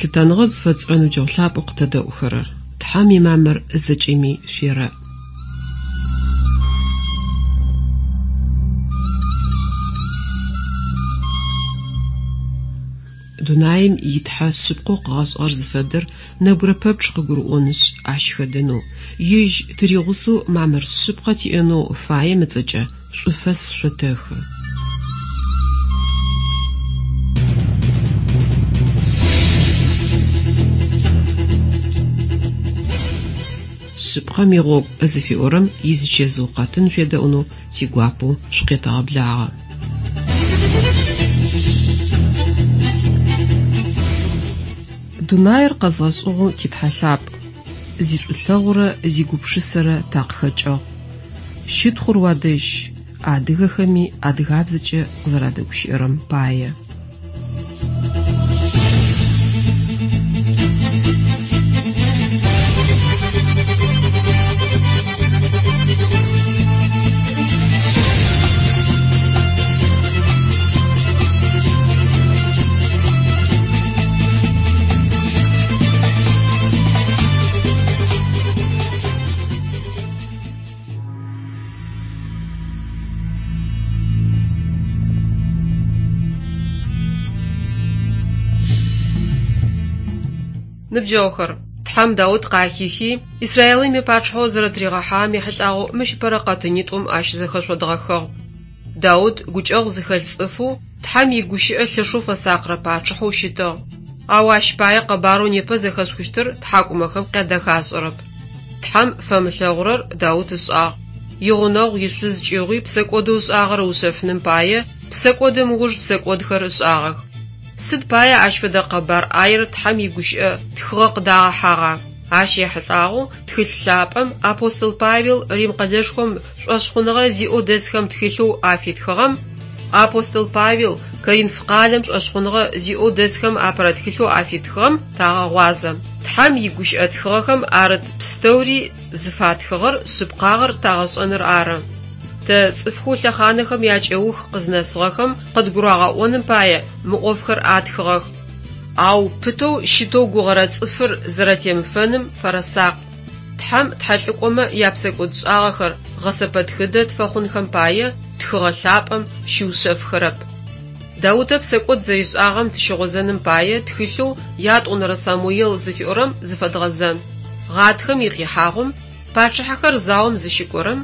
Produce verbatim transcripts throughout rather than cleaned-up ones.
Лъытэныгъэ зыфэтшӏырэ ныбджэгъу лъапӏэу къытэдэӏухэрэр, Тхьэм имамыр зэкӏэми шъуерэӏ. Дунаим итхьэ шъыпкъэу къыгъэшӏыгъэр зыфэдэр нэбгырэ пэпчъ къыгурыӏонышъ, ащ хэдэнэу, ежь тыригъусэу мамыр шъыпкъэ тиӏэнэу фаем ыцӏэкӏэ шӏуфэс шъотэхы. Шъыпкъэм игъогу зыфиӏорэм изычэзыу къэтын шъуедэӏунэу тигуапэу шъукъетэгъэблагъэ. Дунаир къэзгъэшӏыгъэу титхьэ лъапӏ, зишӏулъэгъурэ зигупшысэрэ такъыхэкӏыгъ. Щытхъур уадэжь, адыгэхэми адыгабзэкӏэ къызэрадэгущыӏэрэм пае. Ныбджэгъухэр, Тхьэм Даут къахихи, Израилым ипачъыхьэу зэрэтыригъэхьагъэм ехьылӏагъэу мыщ ыпэрэ къэтынитӏум ащызэхэшъодгъэхыгъ. Даут гукӏэгъу зыхэлъ цӏыфэу, Тхьэм игущыӏэ лъэшэу фэсакърэ пачъыхьэу щытыгъ. Ау ащ пае къэбарэу непэ зэхэшъухыщтыр тхьакӏумэхэм къядэхашӏэрэп. Тхьэм фэмылъэгъурэр Даут ышӏагъ. Игъунэгъу ишъуз кӏыгъуи псэкӏодэу ышӏагъэр ыушъэфыным пае псэкӏодым ыуж псэкӏодхэр ышӏагъэх. Сыд пае ащ фэдэ къэбар ӏаер Тхьэм игущыӏэ тхыгъэ къыдагъэхьагъа? Ащ ехьылӏагъэу тхылъ лъапӏэм апостол Павел Рим къэлэшхом шӏошъхъуныгъэ зиӏэу дэсхэм тхылъэу афитхыгъэм апостол Павел Коринф къалэм шӏошъхъуныгъэ зиӏэу дэсхэм апэрэ тхылъэу афитхыгъэм тагъэгъуазэ. Тхьэм игущыӏэ тхыгъэхэм арыт пстэури зыфатхыгъэр шъыпкъагъэр тагъэшӏэныр ары. Тэ цӏыфхэу лъэхъанэхэм якӏэух къызнэсыгъэхэм къыдгурагъэӏоным пае мы ӏофхэр атхыгъэх. Ау пытэу щытэу гугъэрэ цӏыфыр зэрэтемыфэным фэрэсакъ. Тхьэм тхьэлӏыкӏомэ япсэкӏодшӏагъэхэр гъэсэпэтхыдэ тфэхъунхэм пае тхыгъэ лъапӏэм щиушъэфхэрэп. Даутэ псэкӏод зэришӏагъэм тыщыгъозэным пае тхылъэу ятӏонэрэ Самуел зыфиӏорэм зыфэдгъэзэн. Гъатхэм икъихьагъум пачъыхьэхэр заом зыщыкӏорэм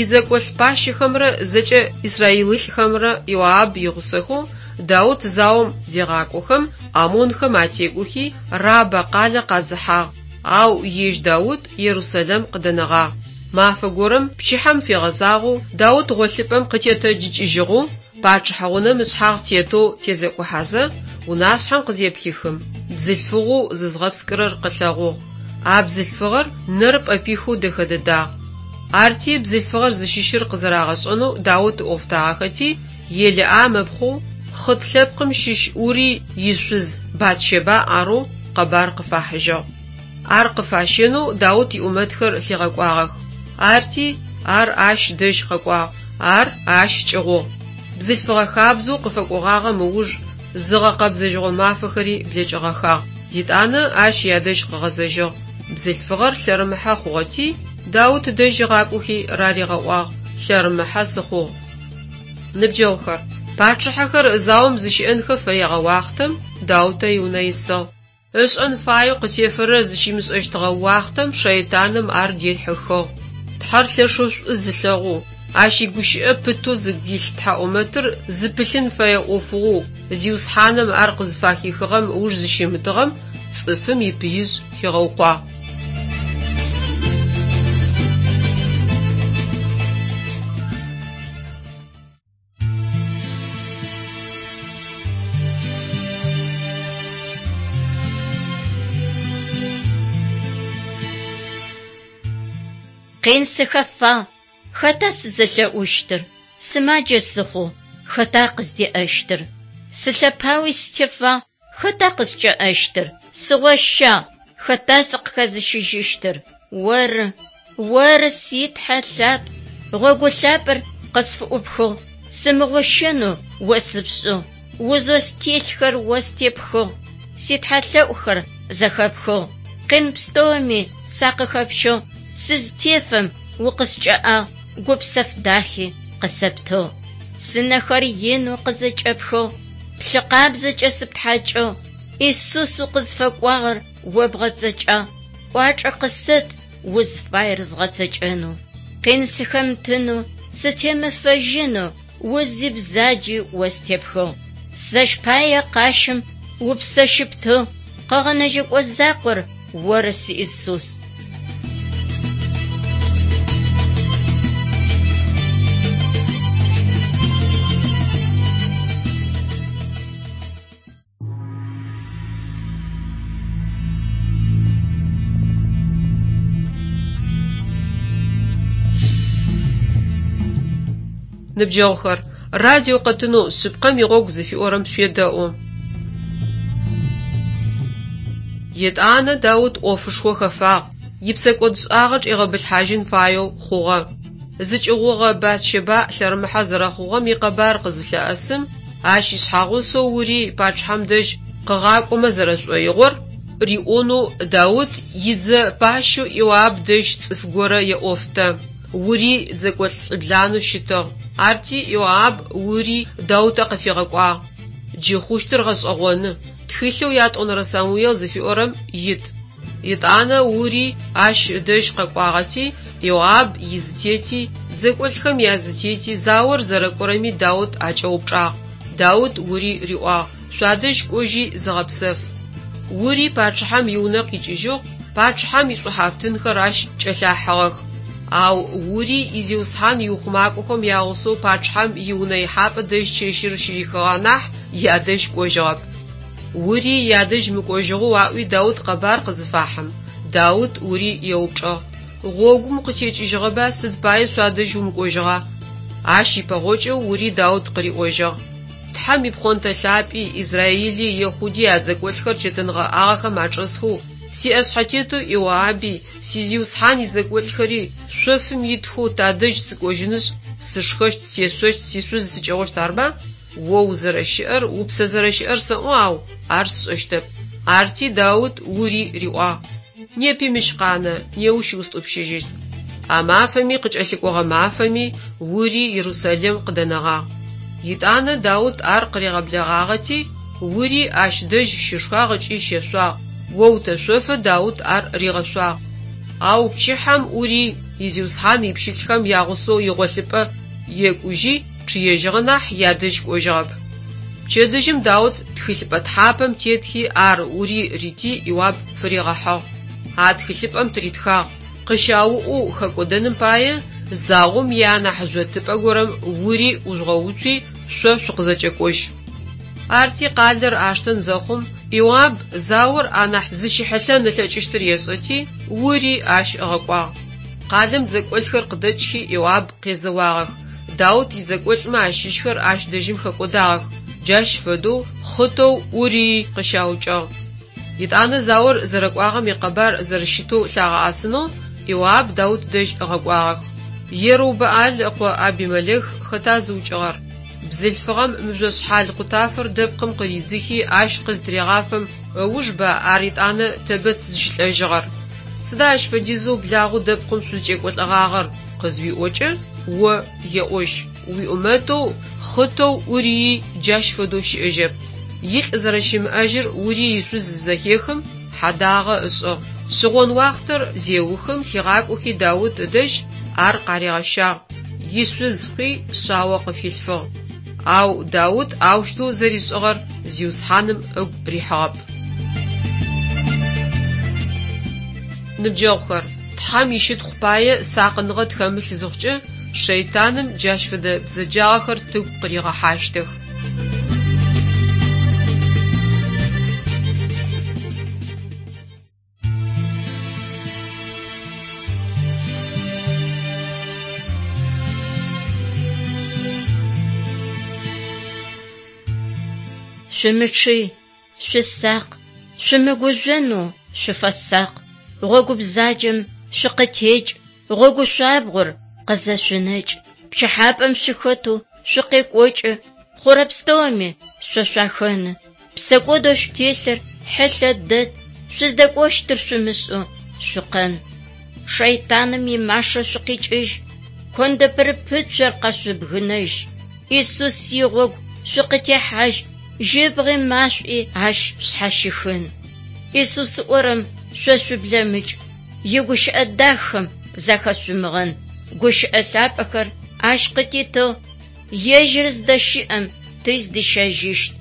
идзэкӏолӏ пащэхэмрэ зэкӏэ израилылӏхэмрэ Иоаб игъусэхэу Даут заом зегъакӏохэм амонхэм атекӏохи Рабэ къалэ къадзыхьагъ, ау ежь Даут Ерусэлэм къыдэнэгъагъ. Мафэ горэм пчыхьэм фегъэзагъэу Даут гъолъыпӏэм къытетэджыкӏыжьыгъэу пачъыхьэ унэм ышъхьагъ тетэу тезекӏухьазэ унашъхьэм къызеплъыхым, бзылъфыгъэу зызгъэпскӏырэр къылъэгъугъ. А бзылъфыгъэр нэр пӏэпихэу дэхэ дэдагъ. Арти бзылъфыгъэр зыщыщыр къызэрагъэшӏэнэу Даут ыӏофтагъэхэти, Елыӏам ыпхъоу Хъыт лъэпкъым щыщ Урый ишъуз Батщэба арэу къэбар къыфахьыжьыгъ. Ар къыфащэнэу Даут иӏумэтхэр лъигъэкӏуагъэх. Арти ар ащ дэжь къэкӏуагъ, ар ащ кӏыгъугъ. Бзылъфыгъэ хабзэу къыфэкӏогъагъэм ыуж зыгъэкъэбзэжьыгъо мафэхэри блэкӏыгъэхагъ. Етӏанэ ащ ядэжь къыгъэзэжьыгъ. Бзылъфыгъэр лъэрымыхьэ хъугъэти, Даут дэжь ыгъакӏохи раригъэӏуагъ: «Лъэрымыхьэ сыхъугъ». Ныбджэгъухэр, пачъыхьэхэр заом зыщыӏэнхэ фэегъэ уахътэм Даутэ иунэ исыгъ. Ышӏэн фаеу къытефэрэр зыщимышӏэщтыгъэ уахътэм шэйтаным ар дихьыхыгъ. Тхьэр лъэшэу шӏу зылъэгъоу, ащ игущыӏэ пытэу зыгу илъ тхьаӏумэтыр зыпылъын фэе ӏофыгъоу Зиусхьаным ар къызфахихыгъэм ыуж зыщимытыгъэм цӏыфым ипыижъ хигъэукъуагъ. Къин сыхэфагъ, хэта сызэлъэӏущтыр? Сымаджэ сыхъугъ, хэта къыздеӏэщтыр? Сылъэпауи сытефагъ, хэта къыскӏэӏэщтыр? Сыгъощагъ, хэта сыкъыхэзыщыжьыщтыр? Оры, оры си Тхьэ лъапӏ, гъогу лъапӏэр къысфыӏупхыгъ, сымыгъощэнэу о сыпшӏыгъ, узэу стелъхэр о степхыгъ. Ситхьэлъэӏухэр зэхэпхыгъ. Къин пстэуми сакъыхэпщыгъ. Сызтефэм укъыскӏэӏагъ, гупсэф дахи къысэптыгъ. Сынэхэр инэу къызэкӏэпхыгъ, плъы къабзэкӏэ сыптхьакӏыгъ. Исус укъызфэкӏуагъэр о бгъэцэкӏагъ. Кӏуачӏэ къысэт узфаер згъэцэкӏэнэу. Къин сыхэмытынэу, сытемыфэжьынэу, узи бзаджи о степхыгъ. Сэщ пае къащым упсэ щыптыгъ, къэгъэнэжьэкӏо закъор оры си Исус. Ныбджэгъухэр, радио къэтынэу «Шъыпкъэм игъогу» зыфиӏорэм шъуедэӏу. Етӏанэ Даут ӏофышхо хэфагъ, ипсэкӏодшӏагъэ чӏигъэбылъхьажьын фаеу хъугъэ. Зыкӏыгъугъэ Батщэбаӏ лъэрымыхьэ зэрэхъугъэм икъэбар къызылъэӏэсым, ащ ишъхьагъусэу Урый пачъыхьэм дэжь къыгъакӏомэ зэрэшӏоигъор риӏонэу Даут идзэ пащэу Иоаб дэжь цӏыф горэ еӏофтэ. Урый дзэкӏолӏ лӏыбланэу щытыгъ. Арти Иоаб Урый Даутэ къыфигъэкӏуагъ. Джы хъущтыр гъэшӏэгъоны. Тхылъэу ятӏонэрэ Самуел зыфиӏорэм ит. Етӏанэ Урый ащ ыдэжь къэкӏуагъэти, Иоаб изытети, дзэкӏолӏхэм язытети, заор зэрэкӏорэми Даут акӏэупчӏагъ. Даут Урый риӏуагъ: «Шъуадэжь кӏожьи зыгъэпсэф». Урый пачъыхьэм иунэ къикӏыжьыгъ, пачъыхьэм ишӏухьафтынхэр ащ кӏэлъахьыгъэх. Ау Урый изиусхьан иухъумакӏохэм ягъусэу пачъыхьэм иунэ ихьапӏэ дэжь чэщыр щырихыгъэ нахь ядэжь кӏожьыгъэп. Урый ядэжь мыкӏожьыгъэу аӏуи Даут къэбар къызыфахьым, Даут Урый еупчӏыгъ: «Гъогум укъытекӏыжьыгъэба, сыд пае шъуадэжь умыкӏожьыгъа?» Ащ ипэгъокӏэу Урый Даут къыриӏожьыгъ: «Тхьэм ипхъонтэ лъапӏи, Израили, Ехъуди ядзэкӏолӏхэр чэтэнгъэӏагъэхэм ачӏэсхэу, сиӏэшъхьэтетэу Иоаби, сизиусхьан идзэкӏолӏхэри шъофым итхэу тадэжь сыкӏожьынышъ, сышхэщт, сешъощт, сишъуз сыкӏыгъущт арба? О узэрэщыӏэр, упсэ зэрэщыӏэр сэӏо, ау ар сшӏэщтэп». Арти Даут Урый риӏуагъ: «Непи мыщ къанэ, неущ устӏупщыжьыщт». А мафэми къыкӏэлъыкӏогъэ мафэми Урый Ерусалим къыдэнэгъагъ. Етӏанэ Даут ар къыригъэблэгъагъэти, Урый ащ дэжь щышхагъ ыкӏи щешъуагъ, оутэшъофэ Даут ар ригъэшъуагъ. Ау пчыхьэм Урый изиусхьан ипщылӏхэм ягъусэу игъолъыпӏэ екӏужьи чъыежьыгъэ нахь ядэжь кӏожьыгъэп. Пчэдыжьым Даут тхылъыпӏэ тхьапэм тетхи ар Урый рити Иоаб фыригъэхьыгъ. А тхылъыпӏэм тыритхагъ: «Къыщауӏэу хэкӏодэным пае заом ианахь жъотыпӏэ горэм Урый ӏужъугъэуцуи шъо шъукъызэкӏэкӏожь». Арти къалэр аштэн зэхъум, Иоаб заор анахь зыщыхьылъэн ылъэкӏыщтыр ешӏэти, Урый ащ ыгъэкӏуагъ. Къалэм дзэкӏолӏхэр къыдэкӏхи Иоаб къезэуагъэх. Даут идзэкӏолӏмэ ащыщхэр ащ дэжьым хэкӏодагъэх. Джащ фэдэу хъытэу Урыий къыщаукӏыгъ. Етӏанэ заор зэрэкӏуагъэм икъэбар зэрэщытэу лъагъэӏэсынэу Иоаб Даут дэжь ыгъэкӏуагъэх. Ерыубэӏал ыкъо Абимэлэх хэта зыукӏыгъэр? Бзылъфыгъэм мыжъошъхьал къутафэр дэпкъым къыридзыхи ащ къызтырегъафэм ыужба ар етӏанэ Тэбэц зыщылӏэжьыгъэр. Сыда ащ фэдизэу благъэу дэпкъым шъузкӏекӏолӏэгъагъэр къызыуиӏокӏэ, о еӏожь: уиӏумэтэу хъытэу Урыий джащ фэдэу щыӏэжьэп. Илӏ зэрэщымыӏэжьыр Урый ишъуз зызэхехым, хьадагъэ ышӏыгъ. Шъыгъон уахътэр зеухым лъигъакӏохи Даут ыдэжь ар къаригъэщагъ. Ишъуз хъуи шъао къыфилъфыгъ. Ау Даут аущтэу зэришӏыгъэр Зиусхьаным ыгу рихьыгъэп. Ныбджэгъухэр, Тхьэм ищытхъу пае сакъыныгъэ тхэмылъ зыхъукӏэ, шэйтаным джащ фэдэ бзэджагъэхэр тыгу къыригъэхьащтых. Шъумычъый, шъусакъ, шъумыгужъонэу шъуфэсакъ. Гъогу бзаджэм шъукъытекӏ, гъогу шъуабгъор къызэшъунэкӏ. Пчыхьапӏэм шъухэтэу шъукъекӏокӏы, хъурэ пстэуми шъо шъуахэны. Псэкӏодэу шъутелъыр Хьылъэ дэд, шъуздэкӏощтыр шъумышӏэу шъукъэн. Шэйтаным имашэ шъукъикӏыжь, кондэ пырыпыцур къэшъубгынэжь. Исус игъогу шъукъытехьажь, жьыбгъи машӏуи ащ шъхьащихын. Исус ыӏорэм шъо шъублэмыкӏ, игущыӏэ дахэм захэшъумыгъэн. Гущыӏэ лъапӏэхэр ащ къытитыгъ, ежьыр зыдэщыӏэм тыздищэжьыщт.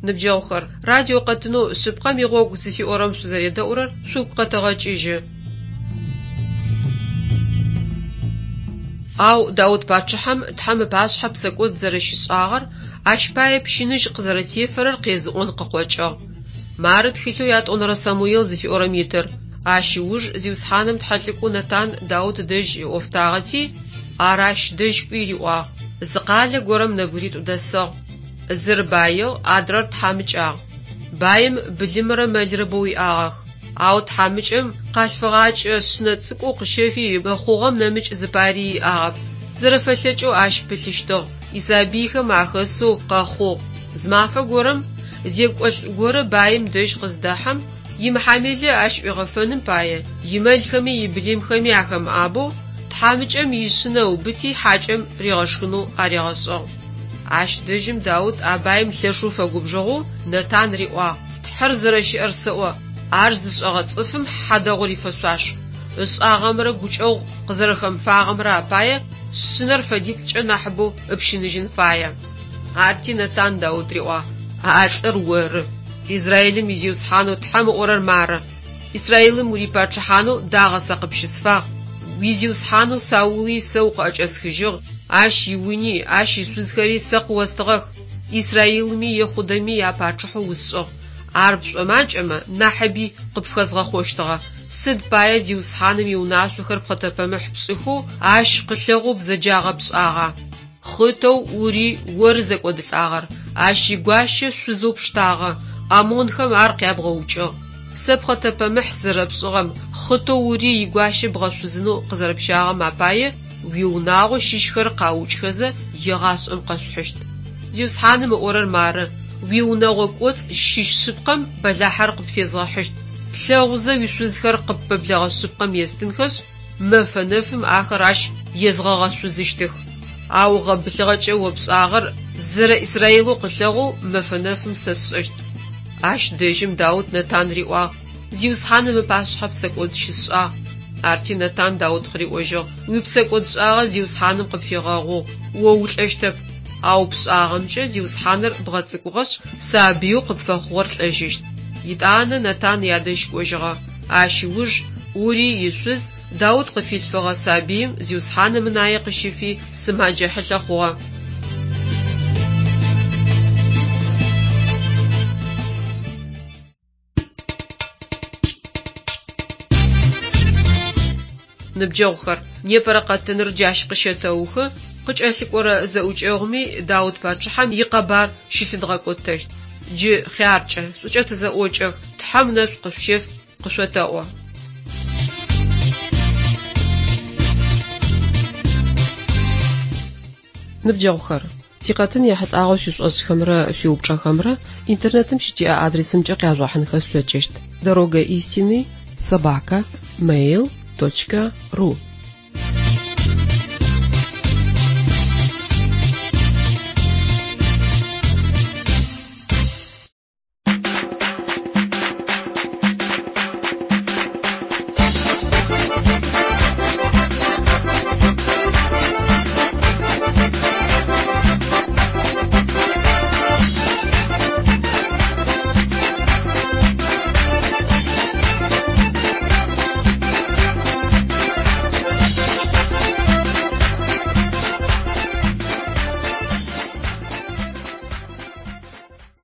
Ныбджэгъухэр, радио къэтынэу «Шъыпкъэм игъогу» зыфиӏорэм шъузэредэӏурэр шъугу къэтэгъэкӏыжьы. Ау Даут пачъыхьэм Тхьэм ыпашъхьэ псэкӏод зэрэщишӏагъэр, ащ пае пщыныжь къызэрэтефэрэр къезыӏон къыкъокӏыгъ. Мары тхылъэу ятӏонэрэ Самуел зыфиӏорэм итыр: Ащ ыуж Зиусхьаным тхьэлӏыкӏо Нэтан Даут дэжь ыӏофтагъэти, ар ащ дэжь кӏуи риӏуагъ: Зы къалэ горэм нэбгыритӏу дэсыгъ. Зыр баигъ, адрэр тхьамыкӏагъ. Баим былымрэ мэлрэ бэу иӏагъэх. Ау тхьамыкӏэм къалъфыгъакӏэ шъынэ цӏыкӏоу къыщэфи ыхъугъэм нэмыкӏ зыпари иӏагъэп. Зэрэфэлъэкӏэу ащ пылъыщтыгъ, исабыйхэм ахэсэу къэхъугъ. Зы мафэ горэм зекӏолӏ горэ баим дэжь къыздэхьэм, имыхьамелэ ащ ӏуигъэфэным пае, имэлхэми ибылымхэми ахэмыӏабэу, тхьамыкӏэм ишъынэ ыубыти хьакӏэм ригъэшхынэу аригъэшӏыгъ. Ащ дэжьым Даут а баим лъэшэу фэгубжыгъэу Нэтан риӏуагъ: «Тхьэр зэрэщыӏэр сэӏо, ар зышӏэгъэ цӏыфым хьадэгъур ифэшъуаш. Ышӏагъэмрэ гукӏэгъу къызэрэхэмыфагъэмрэ апае шъынэр фэдиплӏкӏэ нахьыбэу ыпщыныжьын фае». Арти Нэтан Даут риӏуагъ: «А лӏыр оры. Израилым и Зиусхьанэу Тхьэм ыӏорэр мары: Израилым урипачъыхьанэу дагъэ сэ къыпщысфагъ, уизиусхьанэу Саули сэ укъыӏэкӏэсхыжьыгъ, ащ иуни, ащ ишъузхэри сэ къыостыгъэх, Израилыми Ехъудэми япачъыхьэу усшӏыгъ. Ар пшӏомакӏэмэ, нахьыби къыпфхэзгъэхъощтыгъэ. Сыд пае Зиусхьаным иунашъохэр пхъэтэпэмыхь пшӏыхэу, ащ къылъэгъоу бзэджагъэ пшӏагъа? Хъытэу Урый оры зэкӏодылӏагъэр, ащ игуащэ шъузэу пштагъэ, ӏамонхэм ар къябгъэукӏыгъ. Сэ пхъэтэпэмыхь сызэрэпшӏыгъэм, хъытэу Урый игуащэ бгъэшъузынэу къызэрэпщагъэм апае уиунагъо щыщхэр къаукӏхэзэ егъашӏэм къэшъухьыщт. Зиусхьаным ыӏорэр мары: уиунэгъо кӏоцӏ щыщ шъыпкъэм бэлахьэр къыпфезгъэхьыщт. Плъэгъузэ уишъузхэр къыппэблэгъэ шъыпкъэм естынхэшъ, мэфэ нэфым ахэр ащ езгъэгъэшъузыщтых. Ау гъэбылъыгъэкӏэ о пшӏагъэр зэрэ Израилэу къылъэгъоу мэфэ нэфым сэ сшӏэщт». Ащ дэжьым Даут Нэтан риӏуагъ: «Зиусхьаным ыпашъхьэ псэкӏод щысшӏагъ». Арти Нэтан Даут къыриӏожьыгъ: «Уипсэкӏодшӏагъэ Зиусхьаным къыпфигъэгъугъ, о улӏэщтэп. Ау пшӏагъэмкӏэ Зиусхьаныр бгъэцӏыкӏугъэшъ, сабыеу къыпфэхъугъэр лӏэжьыщт». Етӏанэ Нэтан ядэжь кӏожьыгъэ. Ащ ыуж Урый ишъуз Даут къыфилъфыгъэ сабыим Зиусхьаным ынае къыщыфи сымаджэ хьылъэ хъугъэ. Ныбджэгъухэр, непэрэ къэтыныр джащ къыщэтэухы, къыкӏэлъыкӏорэ зэӏукӏэгъуми Даут пачъыхьэм икъэбар щылъыдгъэкӏотэщт. Джы хъяркӏэ, шӏукӏэ тызэӏокӏэх, Тхьэм ынэшӏу къышъущеф, къышъотэӏо. Ныбджэгъухэр, тикъэтын ехьылӏагъэу шъуишӏошӏхэмрэ шъуиупчӏэхэмрэ интернетым щытиӏэ адресымкӏэ къяжъугъэхьынхэ шъулъэкӏыщт: дорога истины собака mail точка ру.